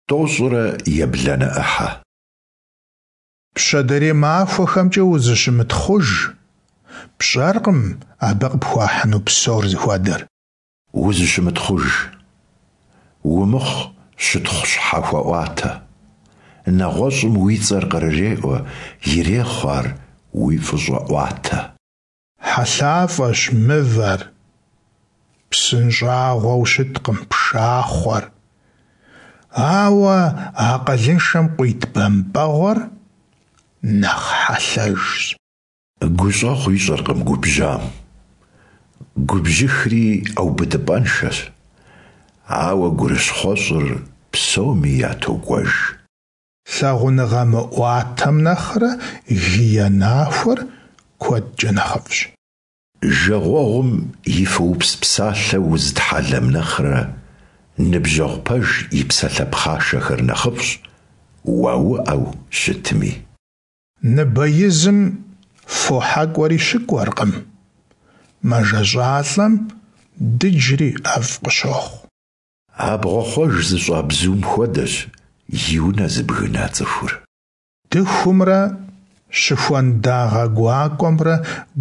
Тӏощӏрэ ебланэ ӏыхьэ. Пщэдейрей махуэхэмкӀэ узыщымытхъуж, пщӀэркъым абы къыпхуахьыну псор зыхуэдэр. Узыщымытхъуж, умыхъу щытхъу щхьэхуэӀуатэ. НэгъуэщӀым уи цӀэр кърыреӀуэ, ирехъу ар уи фӀыщӀэӀуатэ. ХьэлъафӀэщ мывэр, псынщӀагъуэу щыткъым пшахъуэр, ауэ акъылыншэм къуит бэмпӀэгъуэр нэхъ хьэлъэжщ. ГущӀэгъу ищӀэркъым губжьам. Губжьыхри ӀэубыдыпӀэншэщ, ауэ гурыщхъуэщӀыр псоми ятокӀуэж. Лъагъуныгъэ мыӀуатэм нэхърэ гие нахуэр куэдкӀэ нэхъыфӀщ. Жагъуэгъум и фоупс псалъэ узытхьэлэм нэхърэ, ныбжьэгъу пэж и псалъэ пхъашэхэр нэхъыфӀщ, уауӀэу щытми. Ныбэ изым фо хьэкӀуэри щыкӀуэркъым, мэжэщӀалӀэм дыджри ӀэфӀ къыщохъу. Абгъуэхъуэж зыщӀа бзум хуэдэщ и унэ зыбгына цӀыхур. Дыхумрэ щыхуэн дагъэ гуакӀуэмрэ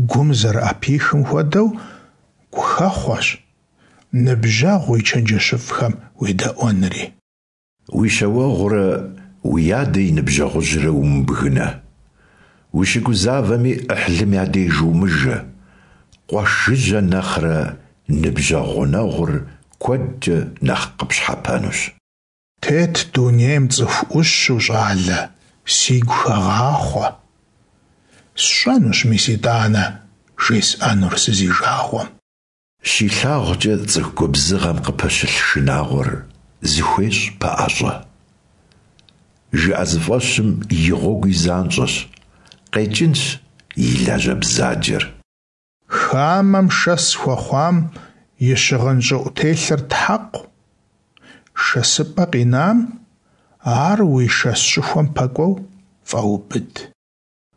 гум зэрыӀэпихым хуэдэу гухэхъуэщ ныбжьэгъу и чэнджэщыфӀхэм уедэӀуэнри. Уи щауэгъурэ уи адэ и ныбжьэгъужьрэ умыбгынэ. Ущыгузавэми Ӏыхьлым я деж умыжэ. Къуэш жыжьэ нэхърэ ныбжьэгъу гъунэгъур куэдкӀэ нэхъ къыпщхьэпэнущ. Тет дунейм цӀыху Ӏущу, щӀалэ, сигу хэгъахъуэ. СщӀэнущ мис итӀанэ жесӀэнур сызижагъуэм. ЩилъагъукӀэ цӀыху губзыгъэм къыпэщылъ шынагъуэр зыхуещӀ пэӀэщӀэ. ЖыӀэзыфӀэщым и гъуэгуи занщӀэщ, къекӀынщ и лажьэ бзаджэр. Хамэм шэс хуэхъуам и щыгъын щӀыӀутелъыр тхьэкъу, шэсыпӀэ къинам ар уи шэс щӀыхуэм пэкӀуэу фӀэубыд.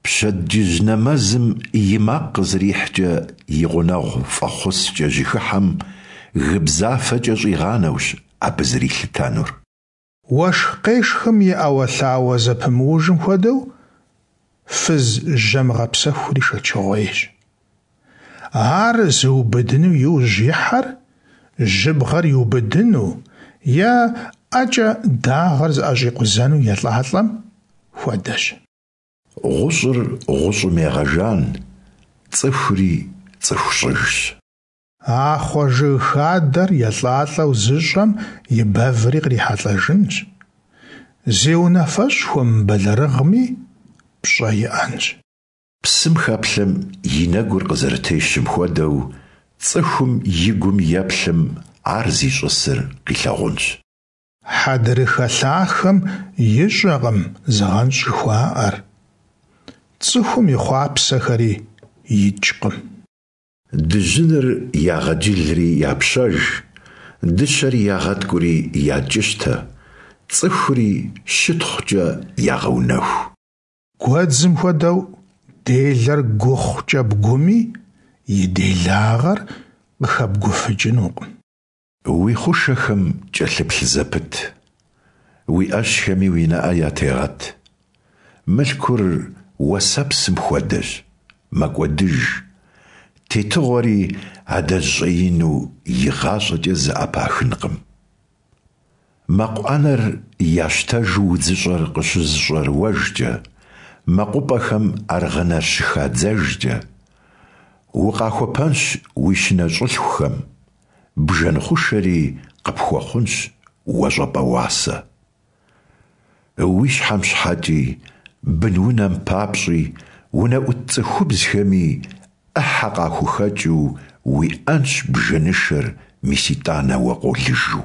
Пщэдджыжь нэмэзым и макъ къызэрихькӀэ и гъунэгъу фӀэхъускӀэ жьыхыхьэм гыбзафэкӀэ щӀигъанэущ абы зэрилъытэнур. Уэшх къешхым и ӏэуэлъауэ зэпымыужым хуэдэу, фыз жьэмыгъэпсэхури шэчыгъуейщ. Ар зыубыдыну иужь ихьэр жьыбгъэр иубыдыну е ӀэкӀэ дагъэр зыӀэщӀикъузэну елӀалӀэм хуэдэщ. ГъущӀыр гъущӀым егъэжан, цӀыхури цӀыху щӀыжщ. Ахъуэ жыг хадэр елӀалӀэу зыщӀэм и бэври кърихьэлӀэжынщ, зи унафэщӀ хуэмыбэлэрыгъми пщӀэ иӀэнщ. Псым хэплъэм и нэгур къызэрытещым хуэдэу, цӀыхум и гум еплъым ар зищӀысыр къилъэгъунщ. Хьэдрыхэ лъахэм ищӀэкъым зыгъэнщӀ жыхуаӀэр, цӀыхум и хъуапсэхэри икӀкъым. Дыжьыныр ягъэджылри япщэж, дыщэр ягъэткӀури якӀыщтэ, цӀыхури щытхъукӀэ ягъэунэху. Гуэдзым хуэдэу делэр гухъукӀэ бгуми, и делагъэр къыхэбгуфыкӀынукъым. Уи хъушэхэм кӀэлъыплъ зэпыт, уи Ӏэщхэми уи нэӀэ ятегъэт. Мылъкур уэсэпсым хуэдэщ, мэкӀуэдыж, тетыгъуэри адэжь щӀэину игъащӀэкӀэ зэӀэпахынкъым. Мэкъу Ӏэнэр ящтэжу удзыщӀэр къыщызэщӀэрыуэжкӀэ, мэкъупӀэхэм аргъынэр щыхадзэжкӀэ, укъахуэпэнщ уи щынэщӀылъхухэм, бжэн хъушэри къыпхуэхъунщ уэ щӀэпӀэ уасэ. Уи щхьэм щхьэкӀи, бынунэм папщӀи, унэӀут цӀыхубзхэми Ӏыхьэ къахухэкӀыу уиӀэнщ бжэнышэр мис итӀанэ уэ къолыжу.